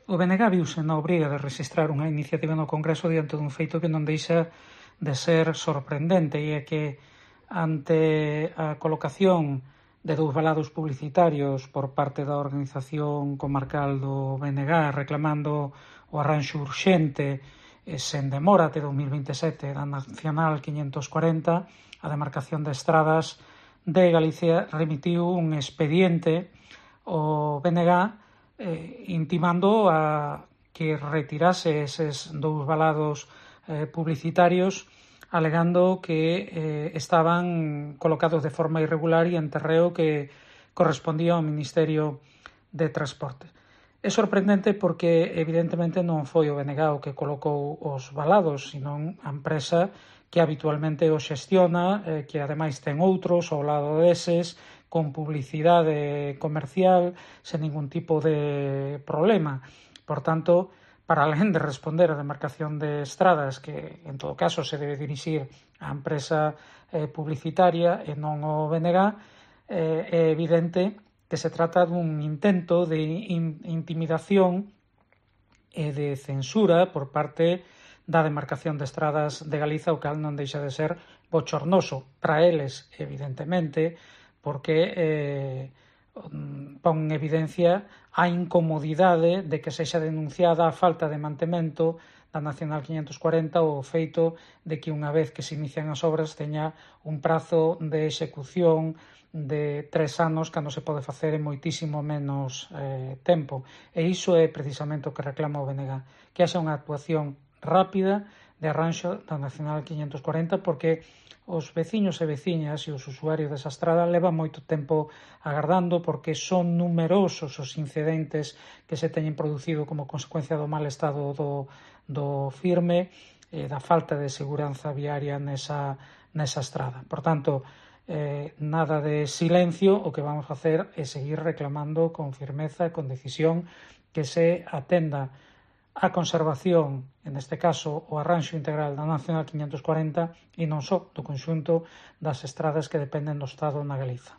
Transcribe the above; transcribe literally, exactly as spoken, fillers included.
O B N G viuse na obriga de rexistrar unha iniciativa no Congreso diante dun feito que non deixa de ser sorprendente, e é que ante a colocación de dous valados publicitarios por parte da Organización Comarcal do B N G reclamando o arranxo urxente e sen demora até dous mil vinte e sete da Nacional quinhentos corenta, a demarcación de estradas de Galicia remitiu un expediente ao B N G eh, intimando a que retirase eses dous valados eh, publicitarios, alegando que eh, estaban colocados de forma irregular e en terreo que correspondía ao Ministerio de Transportes. É sorprendente porque evidentemente non foi o B N G o que colocou os valados, senón a empresa que habitualmente o xestiona, eh, que ademais ten outros ao lado deses, con publicidade comercial, sen ningún tipo de problema. Por tanto, para alén de responder a demarcación de estradas, que en todo caso se debe dirixir á empresa eh, publicitaria e non ao B N G, eh, é evidente que se trata dun intento de in intimidación e de censura por parte da demarcación de estradas de Galiza, o cal non deixa de ser bochornoso para eles, evidentemente, porque eh, pon en evidencia a incomodidade de que sexa denunciada a falta de mantemento da Nacional quinhentos corenta ou o feito de que unha vez que se inician as obras teña un prazo de execución de tres anos cando se pode facer en moitísimo menos eh, tempo. E iso é precisamente o que reclama o B N G, que haxa unha actuación rápida de arranxo da Nacional quinhentos corenta, porque os veciños e veciñas e os usuarios desa estrada levan moito tempo agardando, porque son numerosos os incidentes que se teñen producido como consecuencia do mal estado do, do firme e da falta de seguranza viaria nesa, nesa estrada. Por tanto, eh, nada de silencio, o que vamos a facer é seguir reclamando con firmeza e con decisión que se atenda a conservación, neste caso o arranxo integral da Nacional quinhentos corenta e non só do conxunto das estradas que dependen do Estado na Galiza.